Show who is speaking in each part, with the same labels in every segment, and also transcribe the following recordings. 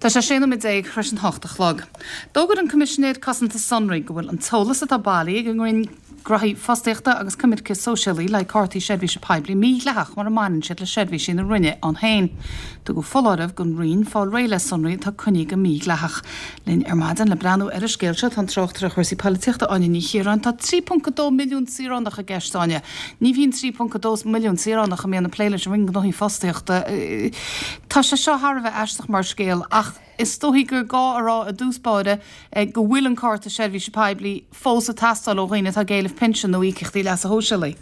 Speaker 1: Tá sé 16 nóiméad tar éis an 8 a chlog. D'fhógair an Coimisinéir Cosanta Sonraí go bhfuil an t-eolas atá bailithe ag an Roinn Gnóthaí Fostaíochta agus Coimirce Sóisialaí le haghaidh cártaí seirbhíse poiblí mídhleathach mura mbaineann siad le seirbhísí na Roinne ann féin. Tugadh foláireamh don Roinn fáil réidh le sonraí atá coinnithe go mídhleathach. Linn ar maidin le breathnú ar an scéal seo tá an tráchtaire chúrsaí polaitíochta Áine Ní Chiaráin. Tá 3.2 milliún saoránach i gceist, Áine. Ní bhíonn 3.2 milliún saoránach a mbíonn ag plé leis an Roinn Gnóthaí Fostaíochta. Tá sé seo thar a bheith aisteach mar scéal ach is dóichí gur gá a rá i dtús báire go bhfuil an cárta seirbhíse poiblí fós ag teastáil ó dhaoine atá ag éileamh pinsean nó íocaíochtaí leasa shóisialaigh.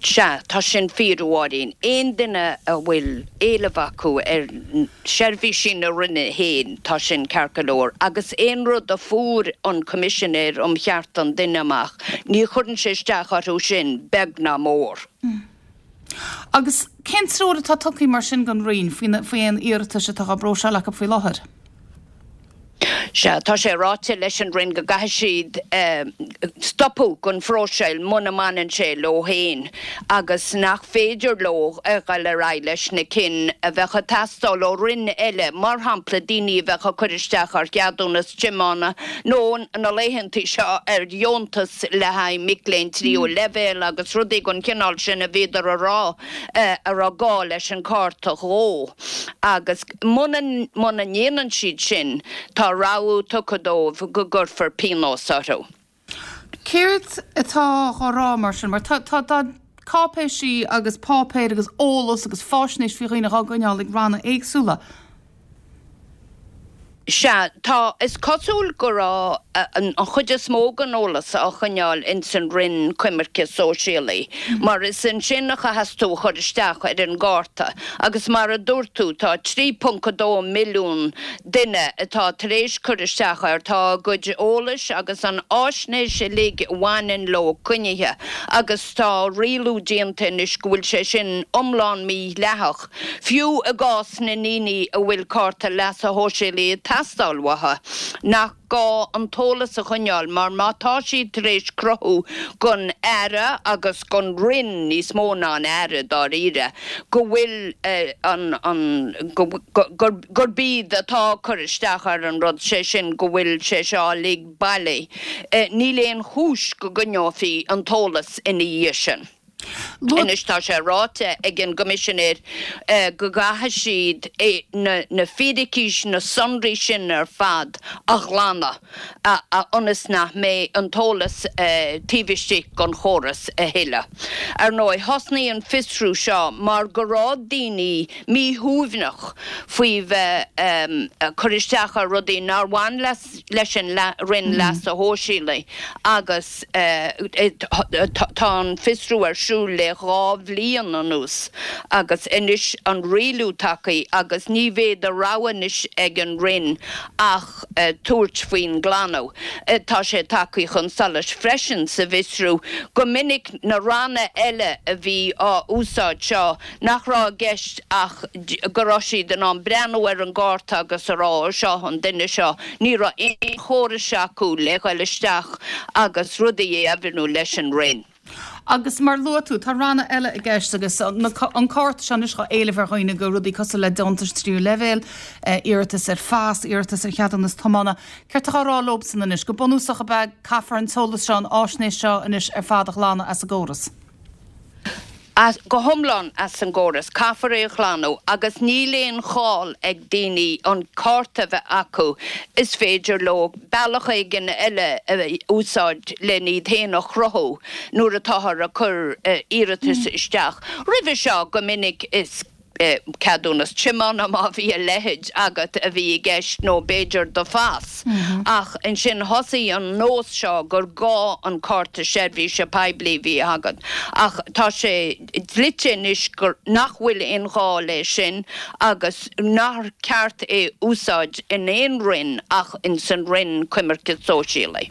Speaker 2: Sea, tá sin fíor, a Mháirín. Aon duine a bhfuil éileamh acu ar sheirbhísí na Roinne féin, tá sin ceart go leor. Agus aon rud a fuair an Coimisinéir um Chearta an Duine amach, ní chuireann sé isteach orthu sin, beag ná mór.
Speaker 1: Agus cén treoir atá tugtha mar sin don Roinn faoi aon iarratais atá á bpróiseáil acu faoi láthair?
Speaker 2: Sea, tá sé ráite leis an Roinn go gcaithfidh siad stopadh den phróiseáil muna mbaineann sé leo féin agus nach féidir leo a dhul ar aghaidh leis na cinn a bheadh ag teastáil ó Roinn eile, mar shampla daoine a bheadh ag cur isteach ar cheadúnas tiomána nó na laethantaí seo ar dheontas le haghaidh mic léinn tríú leibhéal agus rudaí den chineál sin a bhíodar a rá a raibh gá leis an cárta dhó agus Muna muna ndéanann siad sin, tá rabhadh tugtha dóibh go gcuirfear pionós orthu.
Speaker 1: Céard atá á rá mar sin? Mar tá tá tá cáipéisí agus páipéir agus eolas agus fáisnéis faoi dhaoine dhá gcoinneáil ag ranna éagsúla.
Speaker 2: Sea, tá. Is cosúil go raibh an chuid is mó den eolas á choinneáil ins an Roinn Coimirce Sóisialaí, mar is ansin a chaitheas tú a chur isteach ar an gcárta. Agus mar a dúirt tú, tá 3.2 milliún duine atá tar éis cur isteach air, tá a gcuid eolais agus an fháisnéis uilig a bhaineann leo coinnithe agus tá rialú déanta anois go bhfuil sé sin iomlán mídhleathach. Fiú i gcás na ndaoine a bhfuil cárta leasa shóisialaigh ag teastáil uathu, nach gá an t-eolas a choinneáil mar má tá siad tar éis cruthú don Aire agus don Roinn, níos mó ná an Aire dáiríre, go bhfuil an, an, gurb iad atá ag cur isteach ar an rud, sé sin go bhfuil sé seo uilig bailí, níl aon chúis go gcoinneofaí an t-eolas ina dhiaidh sin. Anois tá sé ráite ag an gCoimisinéir go gcaithfidh siad na fíricí, na sonraí sin ar fad a ghlanadh ionas nach mbeidh an t-eolas taobh istigh den chóras a thuilleadh. Ar ndóigh, thosnaigh an fiosrú seo mar go raibh daoine míshuaimhneach faoi bheith ag cur isteach ar rudaí nár bhain le leis an Roinn Leasa Shóisialaigh agus tá an fiosrú ar siúl le 2 bhliain anuas agus anois an rialú tagtha agus ní bheidh de rogha anois ag an Roinn ach tabhairt faoin nglanadh. Tá sé tagtha chun solais freisin sa bhfiosrú go minic na ranna eile a bhí á úsáid seo nach raibh i gceist ach go raibh siad in ann breathnú ar an gcárta agus a rá ó seo an duine seo, ní raibh aon chórais acu le dhul isteach agus rudaí a dheimhniú leis an Roinn.
Speaker 1: Agus mar luaigh tú, tá ranna eile i gceist agus an cárta seo anois á éileamh ar dhaoine do rudaí cosúil le deontais tríú leibhéal, iarratas ar phas, iarratas ar cheadúnas tiomána. Céard atá á rá leobsan anois? Go bunúsach ab ea caithfear an t-eolas seo, an fháisnéis seo anois ar fad a ghlanadh as an gcóras?
Speaker 2: As, go hiomlán as an gcóras. Caithfear é a ghlanadh agus níl aon chall ag daoine an cárta a bheith acu, is féidir leo bealach éigin eile a úsáid len iad féin a chruthú nuair atáthar ag cur iarratais isteach. Roimhe seo, go minic is. ceadúnas tiomána má bhí a leithéid agat a bhí i gceist nó b'fhéidir do phas. Ach ansin thosaigh an nós seo gur gá an cárta seirbhíse poiblí a bhí agat. Ach tá sé dlite anois gur nach bhfuil aon ghá leis sin agus nár cheart é úsáid in aon roinn ach ins an Roinn Coimirce Sóisialaí.